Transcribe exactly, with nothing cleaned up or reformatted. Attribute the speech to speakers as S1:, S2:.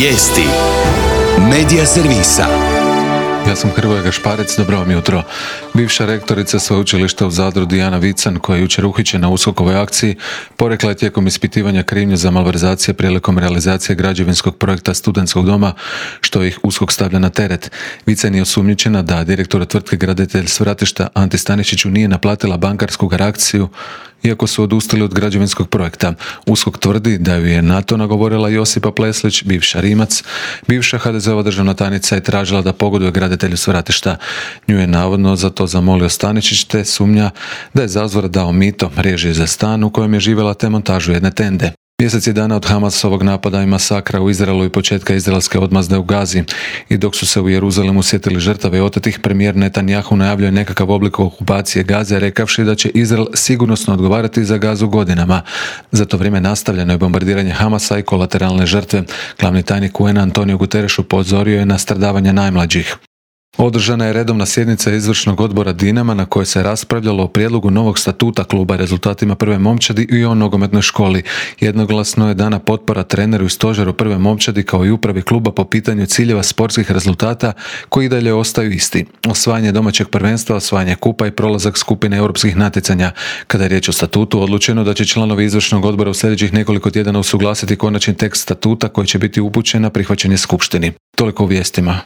S1: Vijesti Medija servisa.
S2: Ja sam Hrvoje Gašparec, dobro vam jutro. Bivša rektorica sveučilišta u Zadru Dijana Vican, koja je jučer uhićena u USKOK-ovoj akciji, porekla je tijekom ispitivanja krivnju za malverzacije prilikom realizacije građevinskog projekta studentskog doma, što ih USKOK stavlja na teret. Vican je osumnjičena da direktor tvrtke Graditelj Svratišta Anti Stanišiću nije naplatila bankarsku garanciju, iako su odustali od građevinskog projekta. USKOK tvrdi da ju je na to nagovorila Josipa Pleslić, bivša Rimac. Bivša ha de ze ova državna tajnica je tražila da pogoduje Graditelju Svratišta. Nju je navodno za to zamolio Stanišić, te sumnja da je zazvora dao mito, režije za stan u kojem je živjela, te montažu jedne tende. Mjesec je dana od Hamasovog napada i masakra u Izraelu i početka izraelske odmazde u Gazi. I dok su se u Jeruzalemu sjetili žrtava i otetih, premijer Netanjahu najavljuje nekakav oblik okupacije Gaze, rekavši da će Izrael sigurnosno odgovarati za Gazu godinama. Za to vrijeme nastavljeno je bombardiranje Hamasa i kolateralne žrtve. Glavni tajnik u en Antonio Guterres upozorio je na stradavanje najmlađih. Održana je redovna sjednica izvršnog odbora Dinama na kojoj se raspravljalo o prijedlogu novog statuta kluba, rezultatima prve momčadi i o nogometnoj školi. Jednoglasno je dana potpora treneru i stožeru prve momčadi kao i upravi kluba po pitanju ciljeva sportskih rezultata koji i dalje ostaju isti. Osvajanje domaćeg prvenstva, osvajanje kupa i prolazak skupine europskih natjecanja. Kada je riječ o statutu, odlučeno da će članovi izvršnog odbora u sljedećih nekoliko tjedana usuglasiti konačni tekst statuta koji će biti upućen na prihvaćanje skupštini. Toliko u vijestima.